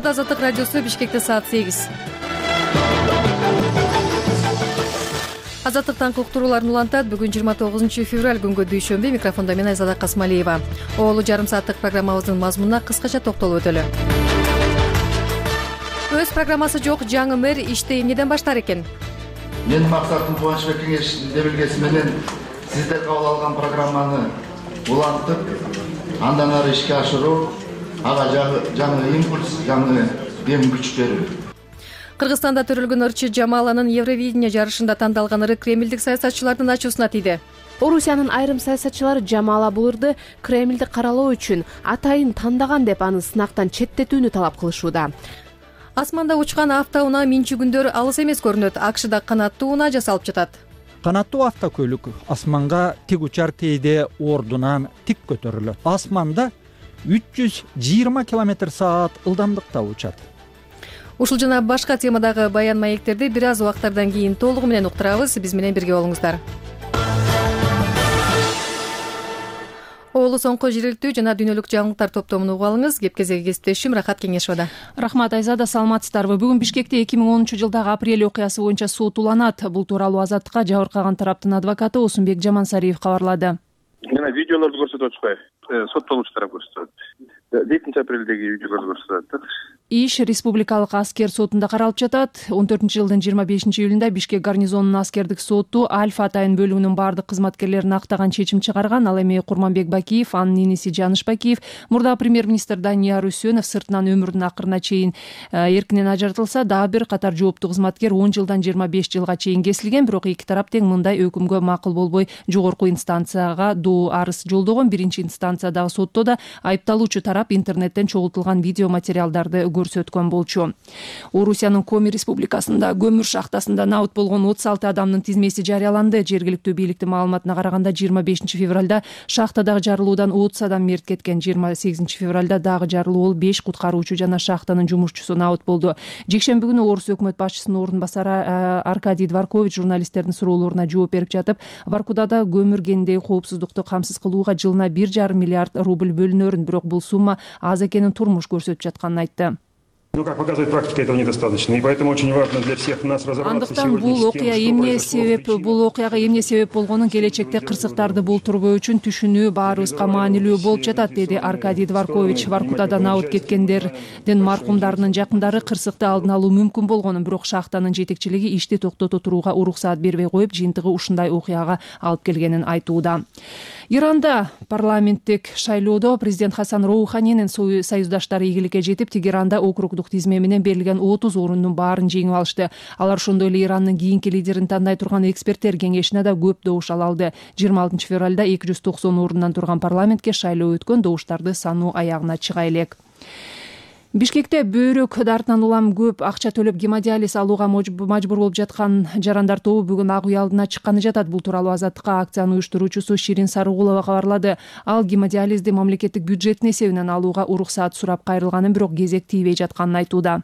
Болот Азаттык радиосу, Бишкекте саат 8. Азаттыктан уктурууларын улантат. Бүгүн 29 февраль күнгө дүйшөмбү. Микрофондо мен Айзада Касмалиева. Оолу жарым сааттык программабыздын мазмунуна кыскача токтолуп өтөлү. Өз программасы жок жаңы мэр ишти эмнеден баштар экен? Менин максатым Кубанычбек Кеңеш демилгеси менен сиздер кабыл алган программаны улантып, андан ары ишке ашыруу, ага жаңы импульс, жаңы дем күч берүү. Кыргызстанда төрөлгөн ырчы Жамаланын Евровидение жарышында тандалган ыры кремлдик саясатчылардын ачуусуна тийди. Орусиянын айрым саясатчылары Жамала бул ырды Кремлди каралоо үчүн атайын тандаган деп аны сынактан четтетүүнү талап кылышууда. Асманда учкан автоунаа минчүгүндөр алыс эмес көрүнөт. АКШда канаттуу унаа жасалып жатат. Канаттуу автокөлүк асманга тик учар кейде ордунан тик көтөрүлөт. Асманда 320 км/саат ылдамдыкта учат. Ушул жана башка темадагы баян маектерди бир аз убактардан кийин толугу менен уктурабыз. Биз менен бирге болуңуздар. Оолу соңку жергиликтүү жана дүйнөлүк жаңылыктар топтомун угуп алыңыз. Кепкезеги кесиптешим Рахат Кеңешова. Рахмат Айзада, саламатсыздарбы? Бүгүн Бишкекте 2010-жылдагы апрель окуясы боюнча сот уланат. Бул тууралуу Азаттыкка жабыркаган тараптын адвокаты Осунбек Жамансариев кабарлады. Мына видеолорду көрсөтүп атышпайбы? Соттолуучу тарап көрсөтөт. 7-апрелдеги видеолорду көрсөтөт. Иш Республикалык аскер сотунда каралып жатат. 14-жылдын 25-июлунда Бишкек гарнизонунун аскердик соту Альфа атайын бөлүгүнүн бардык кызматкерлерин актаган чечим чыгарган. Ал эми Курманбек Бакиев, анын иниси Жаныш Бакиев, мурда премьер-министр Данияр Үсөнов сыртынан өмүрүнүн акырына чейин эркинен ажыртылса, дагы бир катар жооптуу кызматкер 10 жылдан 25 жылга чейин кесилген. Бирок эки тарап тең мындай өкүмгө макул болбой жогорку инстанцияга доо арыз жолдогон. Биринчи инстанциядагы сотто да айыпталуучу тарап интернеттен чогултулган видео материалдарды көрсөткөн болчу. Орусиянын Коми республикасында көмүр шахтасында наут болгон 36 адамдын тизмеси жарыяланды. Жергиликтүү бийликтин маалыматына караганда 25 февралда шахтадагы жарылуудан 30 адам мерт кеткен. 28 февралда дагы жарылуу болуп 5 куткаруучу жана шахтанын жумушчусу наут болду. Жекшемби күнү Орус өкмөт башчысынын орун басары Аркадий Дворкович журналисттердин суроолоруна жооп берип жатып, Воркудада көмүр кенидеги коопсуздукту камсыз кылууга жылына 1,5 миллиард рубль бөлүнөрүн, бирок бул сумма аз экенин турмуш көрсөтүп жатканын айтты. Как показывает практика, этого недостаточно, и поэтому очень важно для всех нас разобраться сегодня бул окуя эмне себеп болгонун келечекте кырсыктарды болтурбоо үчүн түшүнүү баарыбызга маанилүү болуп жатат, деди Аркадий Дворкович. Воркутада наут кеткендердин маркумдарынын жакындары кырсыкты алдын алуу мүмкүн болгонун, бирок шахтанын жетекчилиги ишти токтото турууга уруксаат бербей коюп, жыйынтыгы ушундай окуяга алып келгенин айтууда. Иранда парламенттик шайлоодо президент Хасан Роуханинин союздаштары ийгиликке жетип, Тегеранда округдук тизме менен берилген 30 орунун баарын жеңип алышты. Алар ошондой эле Ирандын кийинки лидерин тандай турган эксперттер кеңешине да көп добуш ала алды. 26 февралда 290 орундан турган парламентке шайлоо өткөн, добуштарды саноо аягына чыга элек. Бишкекте бөйрөк дартынан улам көп акча төлөп гемодиализ алууга мажбур болуп жаткан жарандар тобу бүгүн ак үй алдына чыкканы жатат. Бул тууралуу Азаттыкка акциянын уюштуруучусу Ширин Сарыгулова кабарлады. Ал гемодиализди мамлекеттик бюджеттин эсебинен алууга уруксаат сурап кайрылганын, бирок кезек тийбей жатканын айтууда.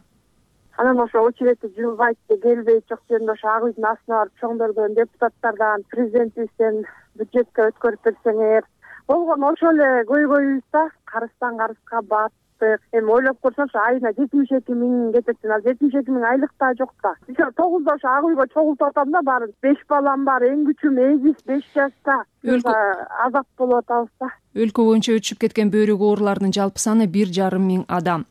Анан ошо очередти жылбайт, келбейт, жок жеринде ошо ак үйдүн астына барып чоңдордон, депутаттардан, президентибизден бюджетке өткөрүп берсеңер. Болгон ошол эле көйгөйүбүз, карыздан карызга бат. Эми ойлоп көрсөм, айына 72 миң кетет. Ал 72 миң айлык да жок да. 9да ошо ак үйгө чогултуп атам да, баарын. 5 балам бар, эң күчүм эгиз 5 жашта. Азап болуп атабыз да. Өлкө боюнча өчүп кеткен бөйрөк ооруларынын жалпы саны 1,5 миң адам.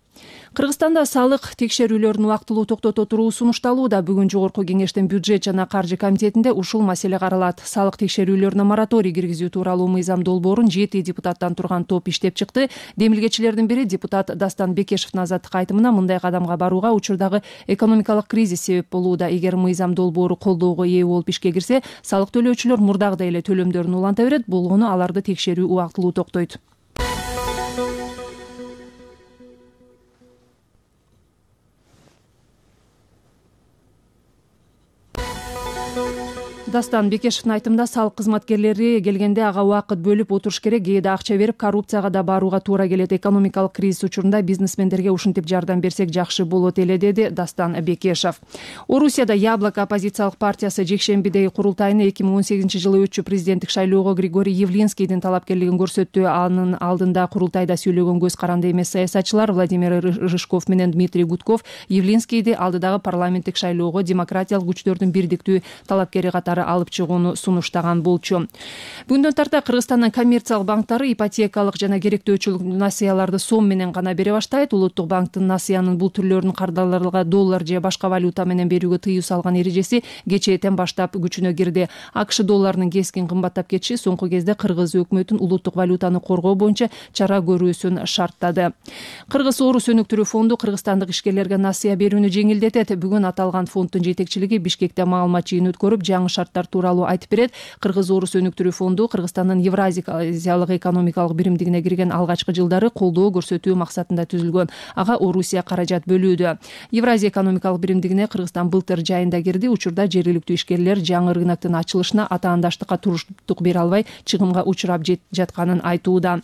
Кыргызстанда салык текшерүүлөрүн убактылуу токтото туруу сунушталууда. Бүгүн жогорку кеңештин бюджет жана каржы комитетинде ушул маселе каралат. Салык текшерүүлөрүнө мораторий киргизүү тууралуу мыйзам долбоорун 7 депутаттан турган топ иштеп чыкты. Демилгечилердин бири депутат Дастан Бекешевдин Азаттыкка айтымына, мындай кадамга барууга учурдагы экономикалык кризис себеп болууда. Эгер мыйзам долбоору колдоого ээ болуп ишке кирсе, салык төлөөчүлөр мурдагыдай эле төлөмдөрүн уланта берет. Болгону аларды текшерүү убактылуу токтойт. Дастан Бекешевдин айтымында салык кызматкерлери келгенде ага убакыт бөлүп отуруш керек, кээде акча берип коррупцияга да барууга туура келет. Экономикалык кризис учурунда бизнесмендерге ушинтип жардам берсек жакшы болот эле, деди Дастан Бекешев. Орусияда Яблоко оппозициялык партиясы жекшембидеги курултайына 2018-жылы өтчү президенттик шайлоого Григорий Явлинскийдин талапкерлигин көрсөттү. Анын алдында курултайда сүйлөгөн көз каранды эмес саясатчылар Владимир Рыжков менен Дмитрий Гудков Явлинскийди алдыдагы парламенттик шайлоого демократиялык күчтөрдүн бирдиктүү талапкери катары алып чыгууну сунуштаган болчу. Бүгүндөн тарта Кыргызстандын коммерциялык банктары ипотекалык жана керектөөчүлүк насыяларды сом менен гана бере баштайт. Улуттук банктын насыянын бул түрлөрүн кардарларга доллар же башка валюта менен берүүгө тыюу салган эрежеси кечээден баштап күчүнө кирди. АКШ долларынын кескин кымбаттап кетиши соңку кезде Кыргыз өкмөтүн улуттук валютаны коргоо боюнча чара көрүүсүн шарттады. Кыргыз Орус өнүктүрүү фонду кыргызстандык ишкерлерге насыя берүүнү жеңилдетет. Бүгүн аталган фонддун жетекчилиги Бишкекте маалымат жыйыны өткөрүп, жаңы шарттар тууралуу айтып берет. Кыргыз Орус өнүктүрүү фонду Кыргызстандын Евразиялык экономикалык биримдигине кирген алгачкы жылдары колдоо көрсөтүү максатында түзүлгөн. Ага Орусия каражат бөлүүдө. Евразия экономикалык биримдигине Кыргызстан былтыр жайында кирди. Учурда жергиликтүү ишкерлер жаңы рыноктун ачылышына атаандаштыкка туруштук бере албай чыгымга учурап жатканын айтууда.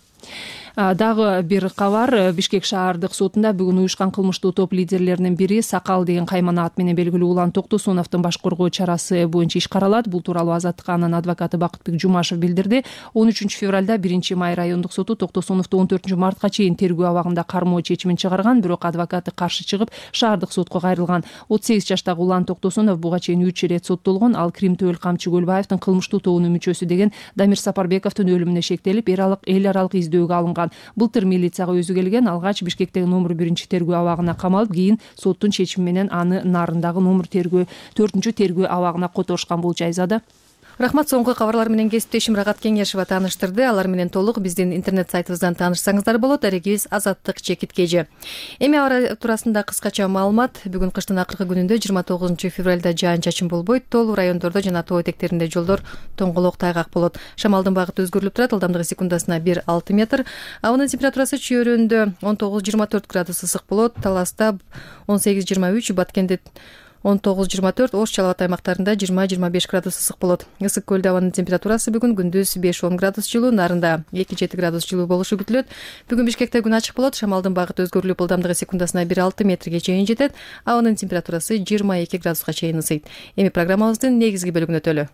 Дагы бир кабар. Бишкек шаардык сотунда бүгүн уюшкан кылмыштуу топ лидерлеринин бири Сакал деген каймана ат менен белгилүү Улан Токтосуновдун баш коргоо чарасы боюнча иш каралат. Бул тууралуу Азаттыкка анын адвокаты Бакытбек Жумашев билдирди. 13 февралда 1-Май райондук соту Токтосуновду 14 мартка чейин тергөө абагында кармоо чечимин чыгарган, бирок адвокаты каршы чыгып шаардык сотко кайрылган. 38 жаштагы Улан Токтосунов буга чейин 3 ирет соттолгон. Ал Крим Төөл Камчы Көлбаевдин кылмыштуу тобунун мүчөсү деген Дамир Сапарбековдун өлүмүнө шектелип, эл аралык издөөгө алынган. Былтыр милицияга өзү келген, алгач Бишкектеги номер 1 тергөө абагына камалып, кийин соттун чечими менен аны Нарындагы номер 4 тергөө абагына которушкан болчу. Айзада. Рахмат. Соңку кабарлар менен кесиптешим Рагат Кеңешева тааныштырды. Алар менен толук биздин интернет сайтыбыздан таанышсаңыздар болот. Арегибиз Азаттык ЧКТ. Эми аба туурасында кыскача маалымат. Бүгүн кыштын акыркы күнүндө 29 февралда жаан-чачын болбойт. Тоолуу райондордо жана тоо этектеринде жолдор тоңголок тайгак болот. Шамалдын багыты өзгөрүлүп турат. Ылдамдыгы секундасына 1-6 метр. Абанын температурасы чөйрөндө 19-24 градус ысык болот. Таласта 18-23, Баткенде 19-24, Ош Чалабат аймактарында 20-25 градус ысык болот. Ысык көлдө абанын температурасы бүгүн күндүз 5-10 градус жылуу, Нарында 2-7 градус жылуу болушу күтүлөт. Бүгүн Бишкекте күн ачык болот. Шамалдын багыты өзгөрүлүп, ылдамдыгы секундасына 1-6 метрге чейин жетет. Абанын температурасы 22 градуска чейин ысыйт. Эми программабыздын негизги бөлүгүнө өтөлү.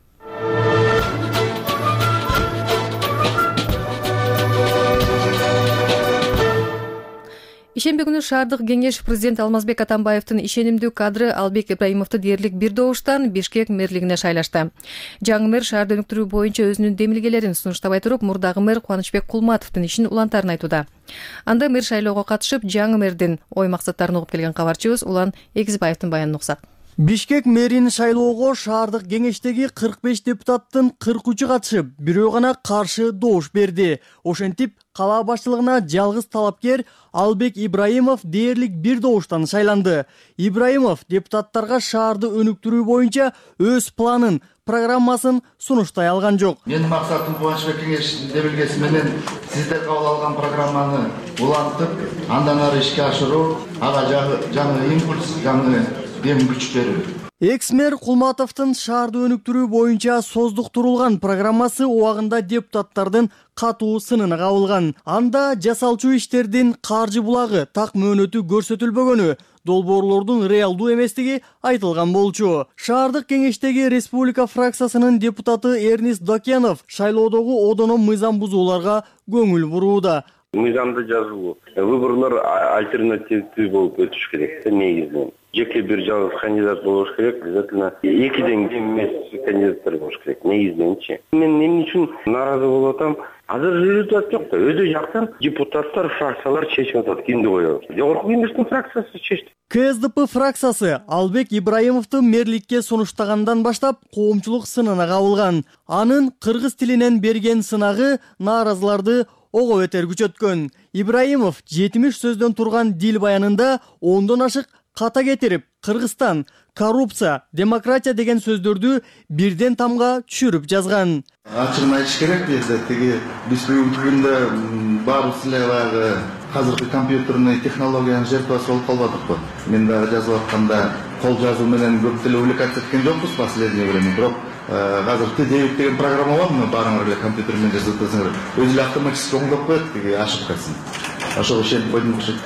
Ишемби күнү шаардык кеңеш президент Алмазбек Атамбаевдин ишенимдүү кадры Албек Ибраимовду дээрлик бир добуштан Бишкек мэрлигине шайлашты. Жаңы мэр шаарды өнүктүрүү боюнча өзүнүн демилгелерин сунуштабай туруп, мурдагы мэр Кубанычбек Кулматовдун ишин улантарын айтууда. Анда мэр шайлоого катышып, жаңы мэрдин ой максаттарын угуп келген кабарчыбыз Улан Эгизбаевдин баянын уксак. Бишкек мэрин шайлоого шаардык кеңештеги 45 депутаттын 43-ü катышып, бирөө гана каршы добуш берди. Ошентип, кала башчылыгына жалгыз талапкер Албек Ибраимов дээрлик бир добуштан шайланды. Ибраимов депутаттарга шаарды өнүктүрүү боюнча өз планын, программасын сунуштай алган жок. Менин максатым Кубанычбек кеңештин демилгеси менен сиздер кабыл алган программаны улантып, андан ары ишке ашыруу, ага жаңы импульс, жаңы дем күч берүү. Экс-мэр Кулматовдун шаарды өнүктүрүү боюнча создуктурулган программасы убагында депутаттардын катуу сынына кабылган. Анда жасалчу иштердин каржы булагы так мөөнөтү көрсөтүлбөгөнү, долбоорлордун реалдуу эместиги айтылган болчу. Шаардык кеңештеги республика фракциясынын депутаты Эрнис Докенов шайлоодогу одоно мыйзам бузууларга көңүл бурууда. Мыйзамды жазуу, выборлор альтернативдүү болуп өтүш керек. Негизинен жеке бир жалгыз кандидат болуш керек, обязательно экиден кем эмес кандидаттар болуш керек. Негизиненчи. Мен эмне үчүн нааразы болуп атам? Азыр жүрүп жок да. Өдө жактан депутаттар, фракциялар чечип атат, кимди коебуз. Жогорку кеңештин фракциясы чечти. КСДП фракциясы Албек Ибраимовду мэрликке сунуштагандан баштап коомчулук сынына кабылган. Анын кыргыз тилинен берген сынагы нааразыларды ого бетер күчөткөн. Ибраимов 70 сөздөн турган дил баянында 10дон ашык ката кетирип, Кыргызстан, коррупция, демократия деген сөздөрдү бирден тамга түшүрүп жазган. Ачыгын айтыш керек, тиги биз бүгүнкү күндө баарыбыз эле баягы азыркы компьютерный технологиянын жертвасы болуп калбадыкпы. Мен дагы жазып атканда кол жазуу менен көп деле увлекаться эткен жокпуз последнее время, бирок азыр Дэвид деген программа бар, баарыңар эле компьютер менен жазып атасыңар. Өзү эле автоматически оңдоп коет, тиги ашып калсын. Ошого ишенип койдум окшойт.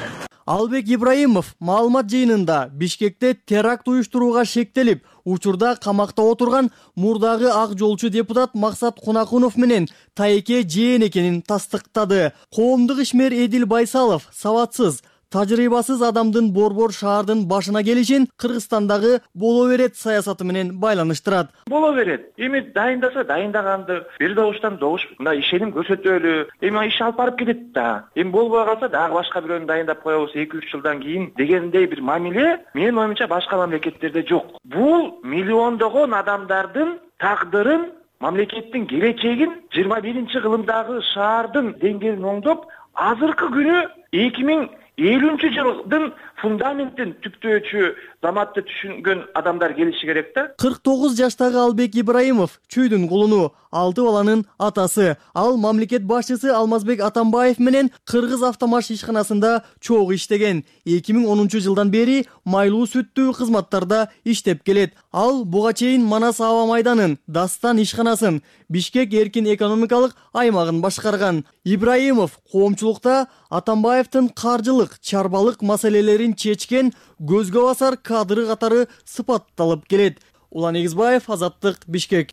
Албек Ибраимов маалымат жыйынында Бишкекте теракт уюштурууга шектелип, учурда камакта отурган мурдагы ак жолчу депутат Максат Кунакунов менен тайеке жээн экенин тастыктады. Коомдук ишмер Эдил Байсалов сабатсыз, тажрыйбасыз адамдын борбор шаардын башына келишин Кыргызстандагы боло берет саясаты менен байланыштырат. Боло берет. Эми дайындаса дайындаганды бир добуштан добуш мындай ишеним көрсөтөлү. Эми иш алып барып кетет да. Эми болбой калса дагы башка бирөөнү дайындап коебуз 2-3 жылдан кийин дегендей бир мамиле менин оюмча башка мамлекеттерде жок. Бул миллиондогон адамдардын тагдырын, мамлекеттин келечегин 21-кылымдагы шаардын деңгээлин оңдоп, азыркы күнү 2050-жылдын фундаментин түптөөчү заматты түшүнгөн адамдар келиши керек да. 49 жаштагы Албек Ибраимов чүйдүн кулуну, 6 баланын атасы. Ал мамлекет башчысы Алмазбек Атамбаев менен Кыргыз автомаш ишканасында чогуу иштеген. 2010-жылдан бери майлуу сүттүү кызматтарда иштеп келет. Ал буга чейин Манас аба майданын, Дастан ишканасын, Бишкек эркин экономикалык аймагын башкарган. Ибраимов коомчулукта Атамбаевдин каржылык, чарбалык маселелерин чечкен көзгө басар кадры катары сыпатталып келет. Улан Эгизбаев, Азаттык, Бишкек.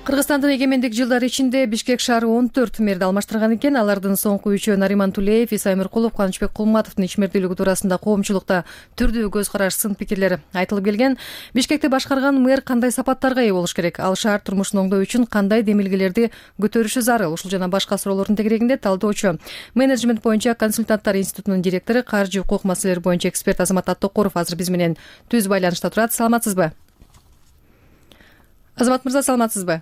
Кыргызстандын эгемендик жылдары ичинде Бишкек шаары 14 мэрди алмаштырган экен. Алардын соңку үчөө Нариман Тулеев, Иса Эмиркулов, Кубанычбек Кулматовдун ишмердүүлүгү туурасында коомчулукта түрдүү көз караш, сын пикирлер айтылып келген. Бишкекти башкарган мэр кандай сапаттарга ээ болуш керек? Ал шаар турмушун оңдоо үчүн кандай демилгелерди көтөрүшү зарыл? Ушул жана башка суроолордун тегерегинде талдоочу, менеджмент боюнча консультанттар институтунун директору, каржы укук маселелери боюнча эксперт Азамат Аттокоров азыр биз менен түз байланышта турат. Саламатсызбы? Азамат мырза, саламатсызбы?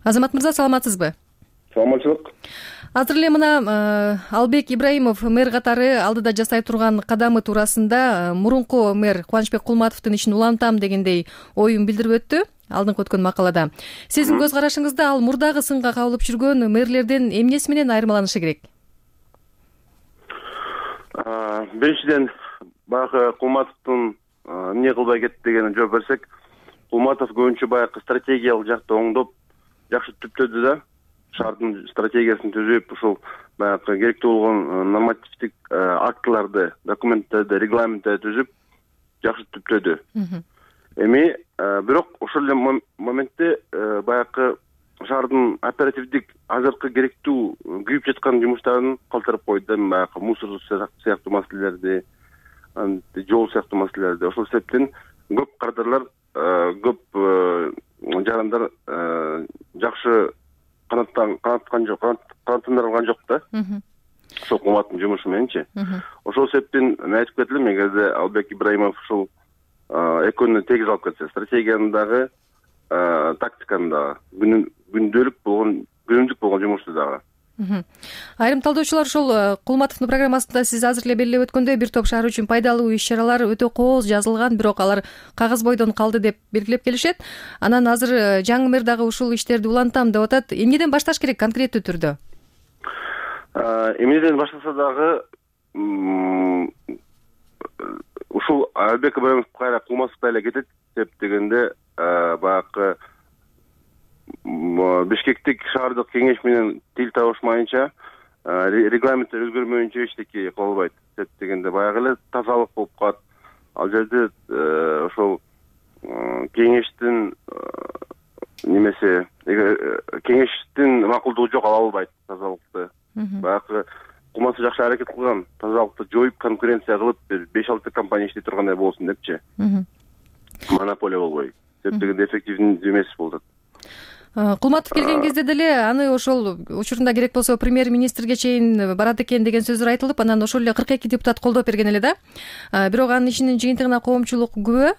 Азамат мырза, саламатсызбы? Саламатчылык. Азыр эле мына Албек Ибраимов мэр катары алдыда жасай турган кадамы туурасында мурунку мэр Кубанычбек Кулматовдун ишин улантам дегендей оюн билдирип өттү алдыңкы өткөн макалада. Сиздин көз карашыңызда ал мурдагы сынга кабылып жүргөн мэрлерден эмнеси менен айырмаланышы керек? Биринчиден баягы Кулматовдун эмне кылбай кетти дегенине жооп берсек, Кулматов көбүнчө баягы стратегиялык жакты оңдоп, жакшы түптөдү да, шаардын стратегиясын түзүп, ушул баягы керектүү болгон нормативдик актыларды, документтерди, регламенттерди түзүп, жакшы түптөдү. Эми бирок ошол эле моментте баягы шаардын оперативдик азыркы керектүү күйүп жаткан жумуштарын калтырып койду, баягы мусор сыяктуу маселелерди, жол сыяктуу маселелерди. Ошол себептен көп кадрлар, көп жарандар жакшы канаттандырылган жок да. Ошол Кулматтын жумушу мененчи. Ошол себептен мен айтып кетилем, эгерде Албек Ибраимов ушул экөөнү тегиз алып кетсе, стратегияны дагы, тактиканы дагы, күндүлүк болгон жумушту дагы. Айрым талдоочулар ошол Кулматовдун программасында сиз азыр эле белгилеп өткөндөй бир топ шаар үчүн пайдалуу иш-чаралар өтө кооз жазылган, бирок алар кагаз бойдон калды деп белгилеп келишет. Анан азыр жаңы мэр дагы ушул иштерди улантам деп атат. Эмнеден башташ керек конкреттүү түрдө? Эмнеден баштаса дагы ушул Албек Ибраимов кайра Кулматовго эле кетет деп дегенде баягы Бишкектик шаардык кеңеш менен тил табышмайынча, регламенттер өзгөрмөйүнчө эчтеке кыла албайт деп дегенде баягы эле тазалык болуп калат. Ал жерде ошол кеңештин немесе кеңештин макулдугу жок, ала албайт тазалыкты. Баягы Кулматов жакшы аракет кылган, тазалыкты жоюп, конкуренция кылып, 5-6 компания иштей тургандай болсун депчи. Монополия болбой. Деп дегенде эффективдүү эмес болот. Кулматов келген кезде деле аны ошол учурунда керек болсо премьер-министрге чейин барат экен деген сөздөр айтылып, анан ошол эле 42 депутат колдоп берген эле да. Бирок анын ишинин жыйынтыгына коомчулук күбө.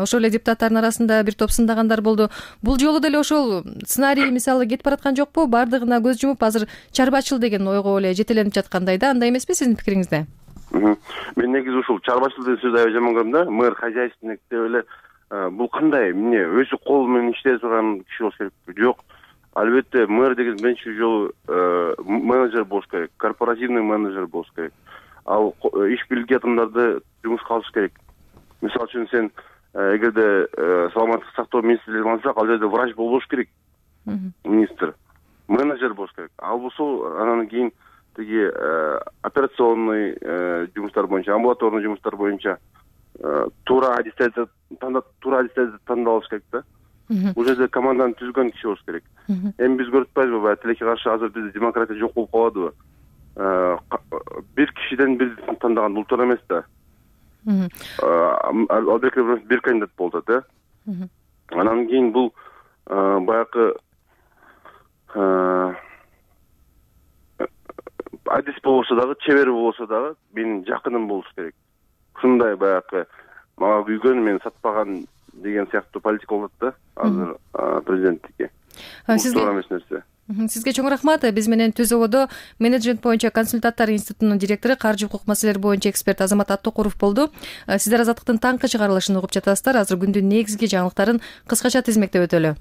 Ошол эле депутаттардын арасында бир топ сындагандар болду. Бул жолу деле ошол сценарий мисалы кетип бараткан жокпу? Бардыгына көз жумуп, азыр чарбачыл деген ойго эле жетеленип жаткандай да. Андай эмеспи сиздин пикириңизде? Мен негизи ушул чарбачыл деген сөздү аябай жаман көрөм да. Мэр хозяйственник деп эле бул кандай, эмне өзү кол менен иштей турган киши болуш керек? Жок. Албетте мэр деген биринчи жолу менеджер болуш керек, корпоративный менеджер болуш керек. ал иш билги адамдарды жумушка алыш керек. Мисалы үчүн сен эгерде саламаттык сактоо министрлигин алсак, ал жерде врач болбош керек, министр, менеджер болуш керек. Ал болсо анан кийин тиги операционный жумуштар боюнча, амбулаторный жумуштар боюнча туура адистерди тандалыш керек да. Бул жерде команданы түзгөн киши болуш керек. Эми биз көрүп атпайбызбы, баягы тилекке каршы азыр бизде демократия жок болуп калабы? Бир кишиден бир тандаган бул туура эмес да. Албек бир кандидат болду да. Анан кийин бул баягы адис болсо дагы, чебер болсо дагы менин жакыным болуш керек. Ушундай баягы мага күйгөн, мен сатпаган деген сыяктуу политика болот да азыр президенттикке. Туура эмес нерсе. Сизге чоң рахмат. Биз менен Түз ООдо менеджмент боюнча консультанттар институтунун директору, каржы укук маселелери боюнча эксперт Азамат Аттокуров болду. Сиздер Азаттыктын таңкы чыгарылышын угуп жатасыздар. Азыр күндүн негизги жаңылыктарын кыскача тизмектеп өтөлү.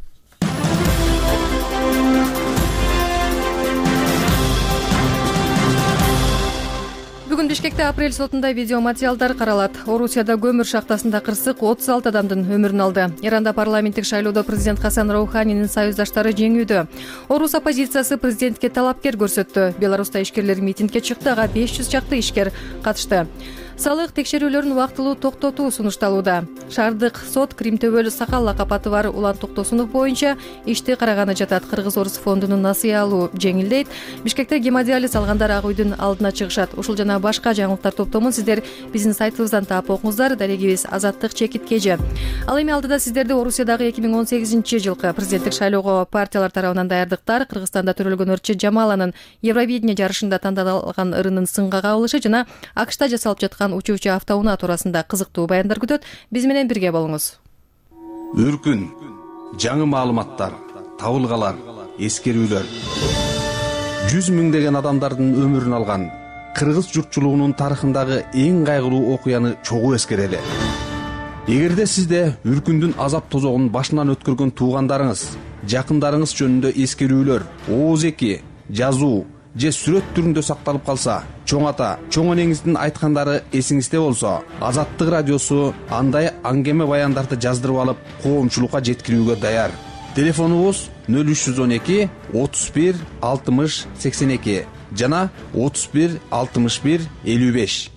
Бүгүн Бишкекте апрель сотунда видео материалдар каралат. Орусияда көмүр шахтасында кырсык 36 адамдын өмүрүн алды. Иранда парламенттик шайлоодо президент Хасан Роуханинин союздаштары жеңүүдө. Орус оппозициясы президентке талапкер көрсөттү. Беларуста ишкерлер митингге чыкты, ага 500 чакты ишкер катышты. Салык текшерүүлөрүн убактылуу токтотуу сунушталууда. Шаардык сот Кримтөбөл Сакал лакап аты бар Улан Токтосунов боюнча ишти караганы жатат. Кыргыз-Орус фондунун насыя алуу жеңилдейт. Бишкекте гемодиализ алгандар ак үйдүн алдына чыгышат. Ушул жана башка жаңылыктар топтомун сиздер биздин сайтыбыздан таап окуңуздар. Дарегибиз Азаттык ЧКТ. Ал эми алдыда сиздерди Орусиядагы 2018-жылкы президенттик шайлоого партиялар тарабынан даярдыктар, Кыргызстанда төрөлгөн Өрчү Жамаланын Евровидение жарышында тандалган ырынын сынга кабылышы жана АКШта жасалып жаткан учуучу автоунаа туурасында кызыктуу баяндар күтөт. Биз менен бирге болуңуз. Өркүн, жаңы маалыматтар, табылгалар, эскерүүлөр. 100 миңдеген адамдардын өмүрүн алган кыргыз журтчулугунун тарыхындагы эң кайгылуу окуяны чогуу эскерели. Эгерде сизде Үркүндүн азап тозогун башынан өткөргөн туугандарыңыз, жакындарыңыз жөнүндө эскерүүлөр, ооз-эки, жазуу же сүрөт түрүндө сакталып калса, чоң ата, чоң энеңиздин айткандары эсиңизде болсо, Азаттык радиосу андай аңгеме баяндарды жаздырып алып, коомчулукка жеткирүүгө даяр. Телефонубуз 0312 31 60 82 жана 31 61 55.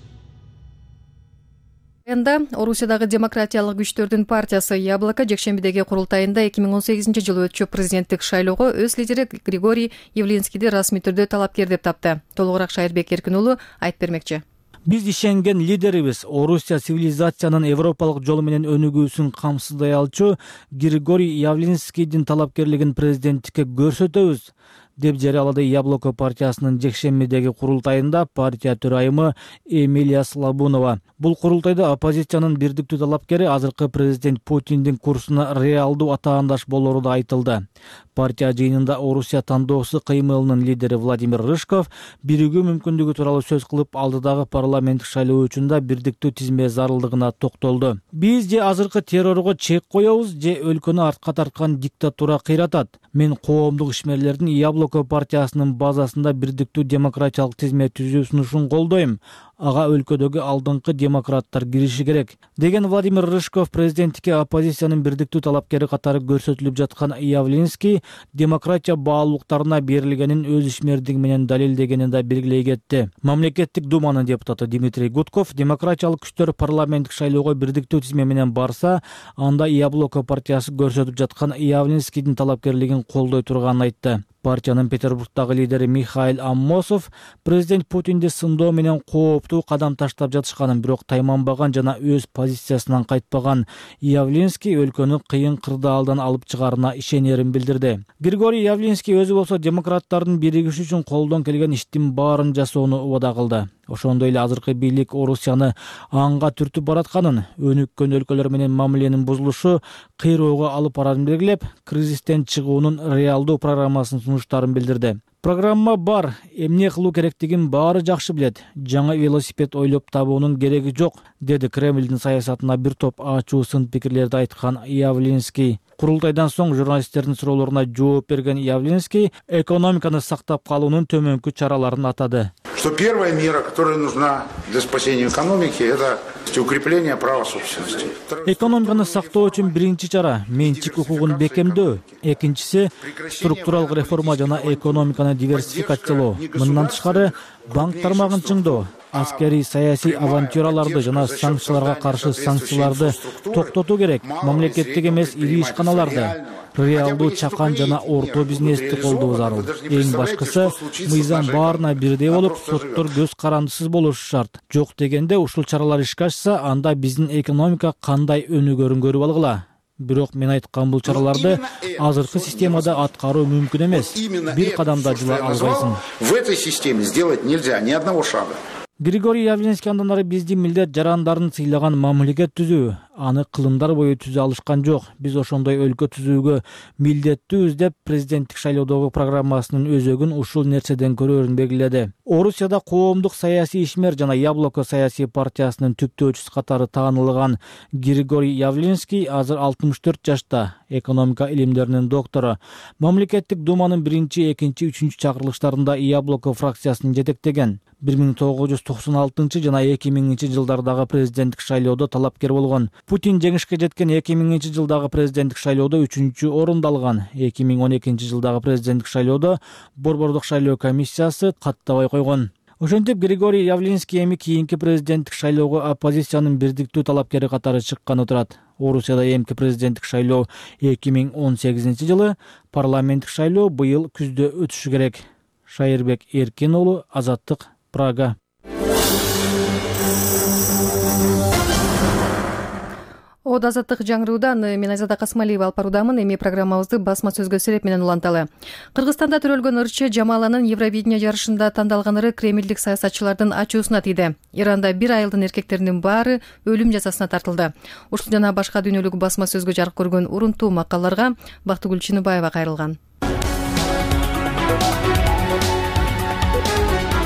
Орусиядагы демократиялык күчтөрдүн партиясы Яблоко жекшембидеги курултайында 2018-жылы өтчү президенттик шайлоого өз лидери Григорий Явлинскийди расмий түрдө талапкер деп тапты. Толугураак Шайырбек Эркин уулу айтып бермекчи. Биз ишенген лидерибиз Орусия цивилизациянын европалык жолу менен өнүгүүсүн камсыздай алчу Григорий Явлинскийдин талапкерлигин президенттикке көрсөтөбүз, деп жарыялады Яблоко партиясынын жекшембидеги курултайында партия төрайымы Эмилия Слабунова. Бул курултайда оппозициянын бирдиктүү талапкери азыркы президент Путиндин курсуна реалдуу атаандаш болору да айтылды. Партия жыйынында Орусия тандоосу кыймылынын лидери Владимир Рыжков биригүү мүмкүндүгү тууралуу сөз кылып, алдыдагы парламенттик шайлоо үчүн бирдиктүү тизме зарылдыгына токтолду. Биз же азыркы террорго чек коебуз, же өлкөнү артка тарткан диктатура кыйратат. Мен коомдук ишмерлердин Яблоко партиясынын базасында бирдиктүү демократиялык тизме түзүү сунушун колдойм. Ага өлкөдөгү алдыңкы демократтар кириши керек, деген Владимир Рыжков президенттикке оппозициянын бирдиктүү талапкери катары көрсөтүлүп жаткан Явлинский демократия баалуулуктарына берилгенин өз ишмердиги менен далилдегенин да белгилей кетти. Мамлекеттик думанын депутаты Дмитрий Гудков демократиялык күчтөр парламенттик шайлоого бирдиктүү тизме менен барса, анда Яблоко партиясы көрсөтүп жаткан Явлинскийдин талапкерлигин колдой турганын айтты. Партиянын Петербургдагы лидери Михаил Аммосов президент Путинди сындоо менен кооптуу кадам таштап жатышканын, бирок тайманбаган жана өз позициясынан кайтпаган Явлинский өлкөнү кыйын кырдаалдан алып чыгаарына ишенерин билдирди. Григорий Явлинский өзү болсо демократтардын биригиши үчүн колдон келген иштин баарын жасоону убада кылды. Ошондой эле азыркы бийлик Орусияны аңга түртүп баратканын, өнүккөн өлкөлөр менен мамиленин бузулушу кыйроого алып барарын белгилеп, кризистен чыгуунун реалдуу программасын сунуштарын билдирди. Программа бар, эмне кылуу керектигин баары жакшы билет. Жаңы велосипед ойлоп табуунун кереги жок, деди Кремлдин саясатына бир топ ачуу сын пикирлерди айткан Явлинский. Курултайдан соң журналисттердин суроолоруна жооп берген Явлинский экономиканы сактап калуунун төмөнкү чараларын атады. что первая мера, которая нужна для спасения экономики, это укрепление права собственности. Экономиканы сактоо үчүн биринчи чара менчик укугун бекемдөө, экинчиси структуралык реформа жана экономиканы диверсификациялоо. Мындан тышкары банк тармагын чыңдоо, аскерий саясий авантюраларды жана санкцияларга каршы санкцияларды токтотуу керек. Мамлекеттик эмес ири ишканаларды, реалдуу чакан жана орто бизнести колдоо зарыл. Эң башкысы мыйзам баарына бирдей болуп, соттор көз карандысыз болушу шарт. Жок дегенде ушул чаралар ишке ашса, анда биздин экономика кандай өнүгөрүн көрүп алгыла. Бирок мен айткан бул чараларды азыркы системада аткаруу мүмкүн эмес. Бир кадамда жыла албайсың. В этой системе сделать нельзя ни одного шага. Григорий Явлинский андан ары биздин милдет жарандарын сыйлаган мамлекет түзүү, аны кылымдар бою түзө алышкан жок. Биз ошондой өлкө түзүүгө милдеттүүбүз деп президенттик шайлоодогу программасынын өзөгүн ушул нерседен көрөөрүн белгиледи. Орусияда коомдук саясий ишмер жана Яблоко саясий партиясынын түптөөчүсү катары таанылган Григорий Явлинский азыр 64 жашта, экономика илимдеринин доктору. Мамлекеттик думанын 1, 2, 3 чакырылыштарында Яблоко фракциясын жетектеген. 1996 жана 2000 жылдардагы президенттик шайлоодо талапкер болгон. Путин жеңишке жеткен 2000 жылдагы президенттик шайлоодо 3-чү орунду алган. 2012 жылдагы президенттик шайлоодо Борбордук шайлоо комиссиясы каттабай койгон. Ошентип Григорий Явлинский эми кийинки президенттик шайлоого оппозициянын бирдиктүү талапкери катары чыкканы турат. Орусияда эмки президенттик шайлоо 2018 жылы, парламенттик шайлоо быйыл күздө өтүшү керек. Шайырбек Эркин уулу, Азаттык, Прага. Од азаттык жаңыруудан мен Айзада Касмалиева алып баруудамын. Эми программабызды басма сөзгө сереп менен уланталы. Кыргызстанда төрөлгөн ырчы Жамаланын Евровидение жарышында тандалган ыры кремлдик саясатчылардын ачуусуна тийди. Иранда 1 айылдын эркектеринин баары өлүм жазасына тартылды. Ушул жана башка дүйнөлүк басма сөзгө жарык көргөн урунтуу макалаларга Бактыгүл Чыныбаева кайрылган.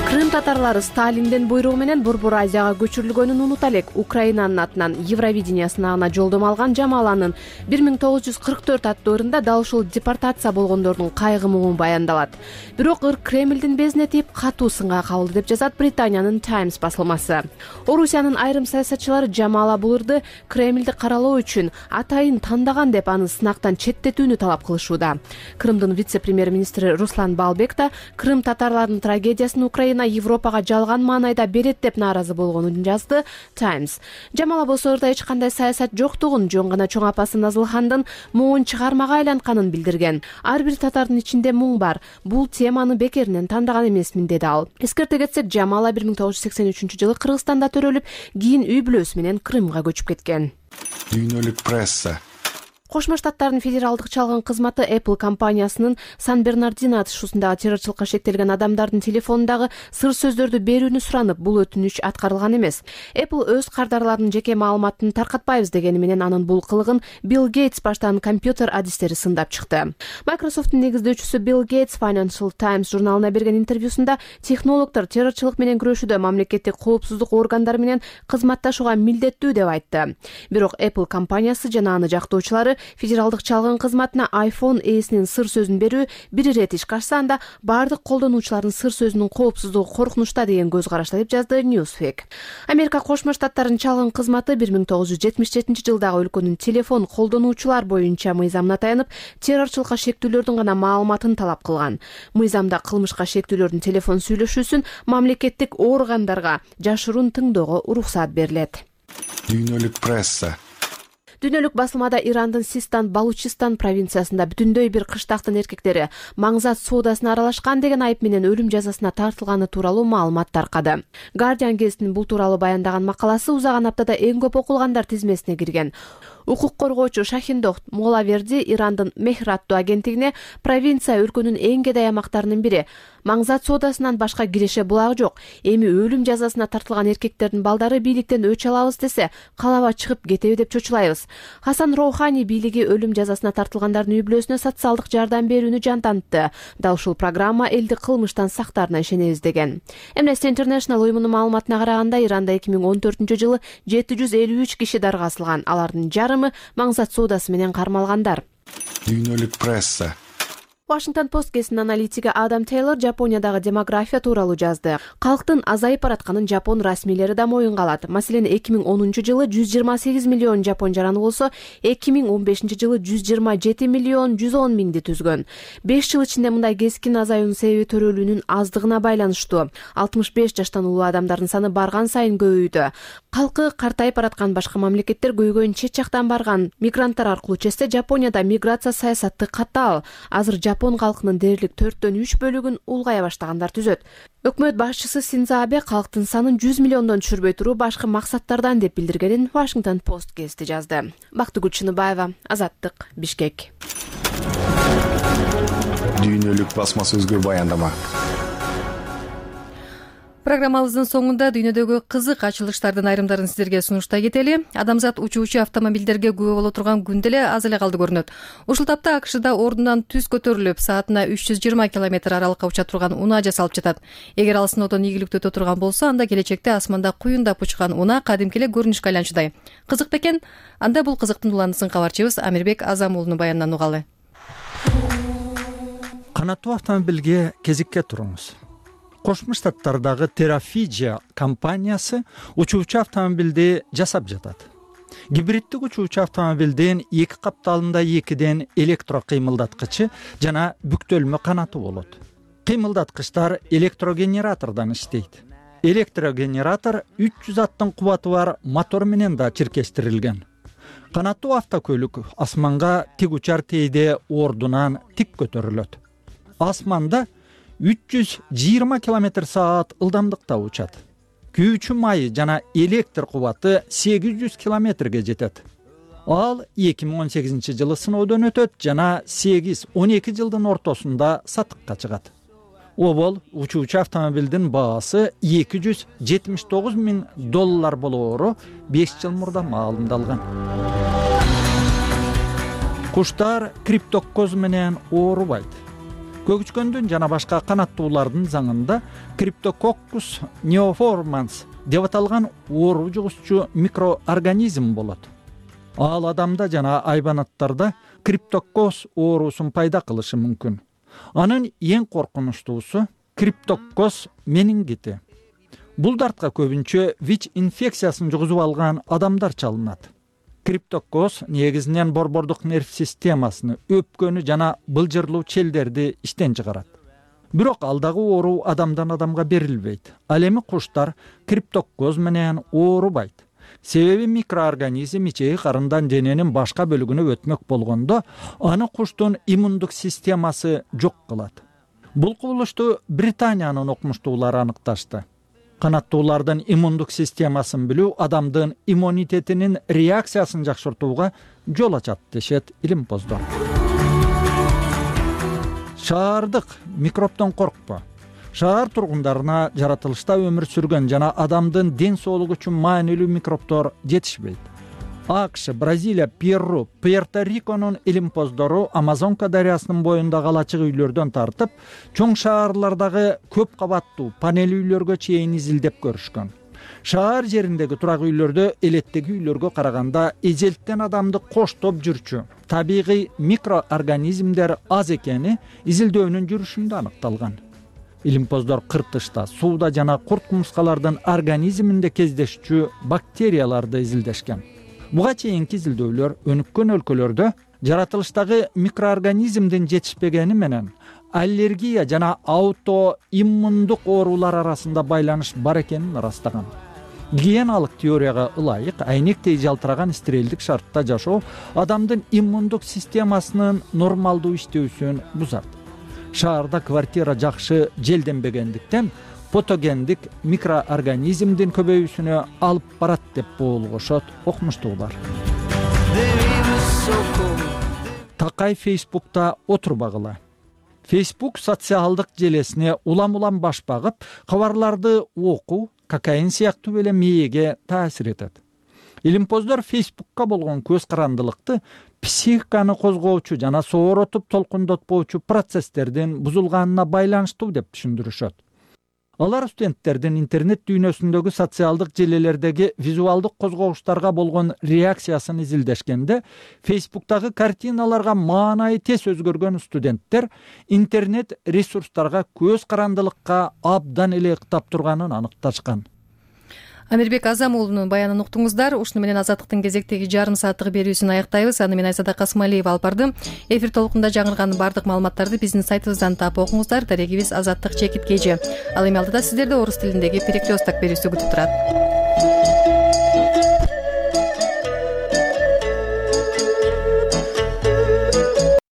Крым татарлары Сталиндин буйругу менен Борбор Азияга көчүрүлгөнүн унута элек. Украинанын атынан Евровидение сынагына жолдомо алган Жамаланын 1944 аттуу ырында дал ушул депортация болгондордун кайгы муңу баяндалат. Бирок ыр Кремлдин безине тийип катуу сынга кабылды деп жазат Британиянын Times басылмасы. Орусиянын айрым саясатчылары Жамала бул ырды Кремлди каралоо үчүн атайын тандаган деп аны сынактан четтетүүнү талап кылышууда. Крымдын вице-премьер-министри Руслан Балбек да Крым татарларынын трагедиясын Украина Европага жалган маанайда берет деп нааразы болгонун жазды Times. Жамала болсо ырда эч кандай саясат жоктугун, жөн гана чоң апасы Назылхандын муңун чыгармага айлантканын билдирген. Ар бир татардын ичинде муң бар. Бул теманы бекеринен тандаган эмесмин, деди ал. Эскерте кетсек, Жамала 1983 жылы Кыргызстанда төрөлүп, кийин үй бүлөсү менен Крымга көчүп кеткен. Дүйнөлүк пресса. Кошмо Штаттардын федералдык чалгын кызматы Apple компаниясынын Сан-Бернардино атышуусундагы террорчулукка шектелген адамдардын телефонундагы сыр сөздөрдү берүүнү суранып, бул өтүнүч аткарылган эмес. Apple өз кардарларынын жеке маалыматын таркатпайбыз дегени менен анын бул кылыгын Билл Гейтс баштаган компьютер адистери сындап чыкты. Microsoft'тун негиздөөчүсү Билл Гейтс Financial Times журналына берген интервьюсунда технологдор террорчулук менен күрөшүүдө мамлекеттик коопсуздук органдары менен кызматташууга милдеттүү деп айтты. Бирок Apple компаниясы жана аны жактоочулары федералдык чалгын кызматына iPhone ээсинин сыр сөзүн берүү бир ирет ишке ашса, анда бардык колдонуучулардын сыр сөзүнүн коопсуздугу коркунучта деген көз карашта деп жазды Newsweek. Америка Кошмо Штаттарынын чалгын кызматы 1977 жылдагы өлкөнүн телефон колдонуучулар боюнча мыйзамына таянып, террорчулукка шектүүлөрдүн гана маалыматын талап кылган. Мыйзамда кылмышка шектүүлөрдүн телефон сүйлөшүүсүн мамлекеттик органдарга жашыруун тыңдоого уруксат берилет. Дүйнөлүк пресса. Дүйнөлүк басылмада Ирандын Систан Балучистан провинциясында бүтүндөй бир кыштактын эркектери маңзат соодасына аралашкан деген айып менен өлүм жазасына тартылганы тууралуу маалымат таркады. Guardian гезитинин бул тууралуу баяндаган макаласы узаган аптада эң көп окулгандар тизмесине кирген. Укук коргоочу Шахиндох Молаверди Ирандын Мехр аттуу агенттигине провинция өлкөнүн эң кедей аймактарынын бири. Маңзат соодасынан башка киреше булагы жок. Эми өлүм жазасына тартылган эркектердин балдары бийликтен өч алабыз десе, калаба чыгып кетеби деп чочулайбыз. Хасан Роухани бийлиги өлүм жазасына тартылгандардын үй бүлөсүнө социалдык жардам берүүнү жантантты. Дал ушул программа элди кылмыштан сактаарына ишенебиз деген. Amnesty International уюмунун маалыматына караганда, Иранда 2014 жылы 753 киши дарга асылган. Алардын жарымы маңзат соодасы менен кармалгандар. Дүйнөлүк пресса. Washington Post газетинин аналитиги Адам Тейлор Жапониядагы демография тууралуу жазды. Калктын азайып баратканын жапон расмийлери да моюнга алат. Маселен, 2010-жылы 128 миллион жапон жараны болсо, 2015-жылы 127 миллион 110 миңди түзгөн. 5 жыл ичинде мындай кескин азаюунун себеби төрөлүүнүн аздыгына байланыштуу. 65 жаштан улуу адамдардын саны барган сайын көбөйдү. Калкы картайып бараткан башка мамлекеттер көйгөйүн чет жактан барган мигранттар аркылуу чечсе, Жапонияда миграция саясаты катаал. Азыр Жапон калкынын дээрлик 4/3 бөлүгүн улгая баштагандар түзөт. Өкмөт башчысы Синдзо Абе калктын санын 100 миллиондон түшүрбөй туруу башка максаттардан деп билдиргенин Washington Post газети жазды. Бактыгүл Чыныбаева, Азаттык, Бишкек. Дүйнөлүк басма сөзгө баяндама. Программабыздын соңунда дүйнөдөгү кызык ачылыштардын айрымдарын сиздерге сунуштай кетели. Адамзат учуучу автомобилдерге күбө боло турган күн деле аз эле калды көрүнөт. Ушул тапта АКШда ордунан түз көтөрүлүп, саатына 320 км аралыкка уча турган унаа жасалып жатат. Эгер ал сыноодон ийгиликтүү өтө турган болсо, анда келечекте асманда куюндап учкан унаа кадимки эле көрүнүшкө айланчудай. Кызык бекен? Анда бул кызыктын уланысын кабарчыбыз Амирбек Азам уулунун баянынан угалы. Канаттуу автомобилге кезикке туруңуз. Кошмо Штаттардагы Terrafiggia компаниясы учуучу автомобилди жасап жатат. Гибриддик учуучу автомобилдин эки капталында экиден электро кыймылдаткычы жана бүктөлмө канаты болот. Кыймылдаткычтар электрогенератордон иштейт. Электрогенератор 300 аттын кубаты бар мотор менен да чиркештирилген. Канаттуу автокөлүк асманга тик учар тийде ордунан тик көтөрүлөт. Асманда 320 км/саат ылдамдыкта учат. Күйүүчү майы жана электр кубаты 800 км жетет. Ал 2018-жылы сыноодон өтөт жана 8-12 жылдын ортосунда сатыкка чыгат. Обол учуучу автомобилдин баасы $279 миң болоору 5 жыл мурда маалымдалган. Куштар криптокоз менен оорубайт. Көгүчкөндүн жана башка канаттуулардын заңында Cryptococcus neoformans деп аталган оору жугузчу микроорганизм болот. Ал адамда жана айбанаттарда криптокоз оорусун пайда кылышы мүмкүн. Анын эң коркунучтуусу криптокоз менингити. Бул дартка көбүнчө ВИЧ инфекциясын жугузуп алган адамдар чалынат. Криптокоз негизинен борбордук нерв системасыны, өпкөнү жана былжырлуу челдерди иштен чыгарат. Бирок алдагы оору адамдан адамга берилбейт. Ал эми куштар криптокоз менен оорубайт. Себеби микроорганизм ичеги карындан дененин башка бөлүгүнө өтмөк болгондо, аны куштун иммундук системасы жок кылат. Бул кубулушту Британиянын окумуштуулары аныкташты. Канаттуулардын иммундук системасын билүү адамдын иммунитетинин реакциясын жакшыртууга жол ачат дешет илимпоздор. Шаардык микробдон коркпо. Шаар тургундарына жаратылышта өмүр сүргөн жана адамдын ден соолугу үчүн маанилүү микробдор жетишпейт. АКШ, Бразилия, Перу, Пуэрто-Риконун илимпоздору Амазонка дарыясынын боюндагы алачык үйлөрдөн тартып, чоң шаарлардагы көп кабаттуу панель үйлөргө чейин изилдеп көрүшкөн. Шаар жериндеги турак үйлөрдө элеттеги үйлөргө караганда эжелттен адамды коштоп жүрчү табигый микроорганизмдер аз экени изилдөөнүн жүрүшүндө аныкталган. Илимпоздор кыртышта, сууда жана курт кумурскалардын организминде кездешчү бактерияларды изилдешкен. Буга чейинки изилдөөлөр өнүккөн өлкөлөрдө жаратылыштагы микроорганизмдин жетишпегени менен аллергия жана аутоиммундук оорулар арасында байланыш бар экенин ырастаган. Гигиеналык теорияга ылайык айнектей жалтыраган стерилдик шартта жашоо адамдын иммундук системасынын нормалдуу иштөөсүн бузат. Шаарда квартира жакшы желденбегендиктен патогендик микроорганизмдин көбөйүүсүнө алып барат деп боолгошот окумуштуулар. Такай Фейсбукта отурбагыла. Фейсбук социалдык желесине улам-улам баш багып, кабарларды окуу, кокаин сыяктуу эле мээге таасир этет. Илимпоздор Фейсбукка болгон көз карандылыкты психиканы козгоочу жана сооротуп толкундотпоочу процесстердин бузулганына байланыштуу деп түшүндүрүшөт. Алар студенттердин интернет дүйнөсүндөгү социалдык желелердеги визуалдык козгогуштарга болгон реакциясын изилдешкенде Facebook'тагы картиналарга маанайы тез өзгөргөн студенттер интернет ресурстарга көз карандылыкка абдан эле ыктап турганын аныкташкан. Амирбек Азам уулунун баянын уктуңуздар. Ушуну менен Азаттыктын кезектеги жарым сааттык берүүсүн аяктайбыз. Аны мен Айзада Касымалиева алып бардым. Эфир толкунда жаңырган бардык маалыматтарды биздин сайтыбыздан таап окуңуздар. Дарегибиз Азаттык чекит KG. Ал эми алдыда сиздерди орус тилиндеги Перекресток берүүсү күтүп турат.